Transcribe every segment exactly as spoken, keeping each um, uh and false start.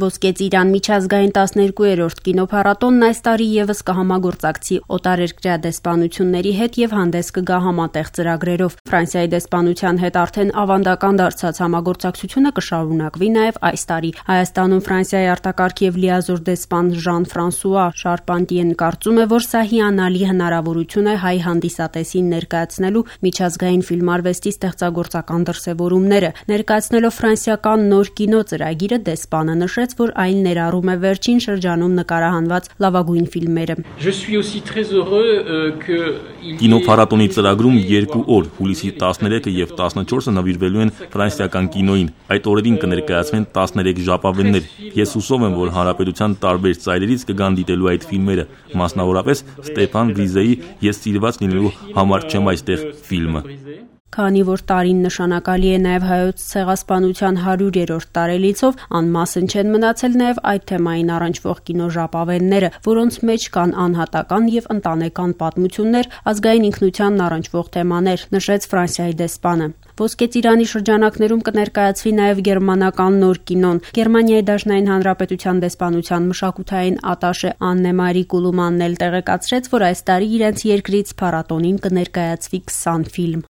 Ոսկե ծիրան միջազգային տասներկուերորդ կինոփառատոնն այս տարի ևս կհամագործակցի օտարերկրյա դեսպանությունների հետ եւ հանդես կգա համատեղ ծրագրերով։ Ֆրանսիայի դեսպանության հետ արդեն ավանդական դարձած համագործակցությունը կշարունակվի նաեւ այս տարի։ Հայաստանում Ֆրանսիայի արտակարգ եւ լիազոր դեսպան Ժան-Ֆրանսուଆ Շարպանտիեն կարծում է, որ սա հիանալի հնարավորություն է հայ հանդիսատեսին ներկայացնելու միջազգային ֆիլմարվեստի ստեղծագործական դրսեւորումները։ Ներկայացնելով ֆրանսիական նոր կինո ծրագիրը դեսպանը նշեց, որ այն ներառում է վերջին շրջանում նկարահանված լավագույն ֆիլմերը։ Կինոփառատոնի ծրագրում երկու օր՝ հուլիսի տասներեքը եւ տասնչորսը նվիրվելու են ֆրանսիական կինոյին։ Այդ օրերին կներկայացվեն տասներեք ժապավեններ։ Ես հուսով եմ, որ հանրապետության տարբեր ծայրերից կգան դիտելու այդ ֆիլմերը, մասնավորապես Ստեփան Գրիզեի «Ես սիրված լինելու համար չեմ այստեղ» ֆիլմը։ Քանի որ տարին նշանակալի է նաև հայոց ցեղասպանության հարյուրերորդ տարելիցով, անմասն չեն մնացել նաև այդ թեմային առնչվող կինոժապավենները, որոնց մեջ կան անհատական եւ ընտանեկան պատմություններ, ազգային ինքնությանն առնչվող թեմաներ, նշեց Ֆրանսիայի դեսպանը։ Ոսկե ծիրանի շրջանակներում կներկայացվի նաև գերմանական նոր կինոն։ Գերմանիայի Դաշնային Հանրապետության դեսպանության մշակութային ատաշե Աննե Մարի Կուլումանն էլ տեղեկացրեց, որ այս տարի իրենց երկրից փառատոնին կներկայացվի քսան ֆիլմ։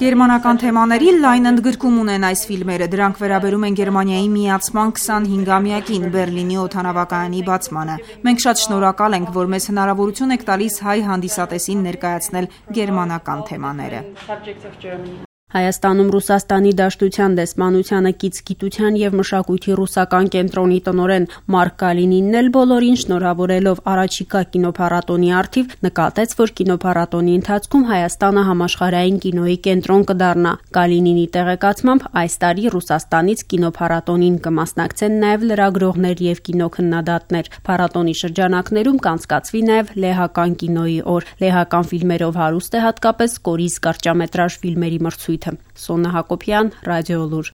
Գերմանական թեմաների լայն ընդգրկում ունեն այս ֆիլմերը։ Դրանք վերաբերում են Գերմանիայի միացման քսանհինգամյակին, Բերլինի օդանավակայանի բացմանը։ Մենք շատ շնորհակալ ենք, որ մեզ հնարավորություն եք տալիս հայ հանդիսատեսին ներկայացնել գերմանական թեմաները։ Հայաստանում Ռուսաստանի Դաշնության դեսպանությանը կից գիտության եւ մշակույթի ռուսական կենտրոնի տնօրեն Մարկ Կալինինն էլ բոլորին շնորհավորելով առաջիկա կինոփառատոնի առթիվ նկատեց, որ կինոփառատոնի ընթացքում Հայաստանը համաշխարհային կինոյի կենտրոն կդառնա։ Կալինինի տեղեկացմամբ այս տարի Ռուսաստանից կինոփառատոնին կմասնակցեն նաեւ լրագրողներ եւ կինոքննադատներ։ Փառատոնի շրջանակներում կանցկացվի նաեւ լեհական կինոյի օր։ Լեհական ֆիլմերով հարուստ է հատկապես կորիզ կարճամետրաժ ֆիլմերի մրցույթը։ Սոնա Հակոբյան, Ռադիոլուր։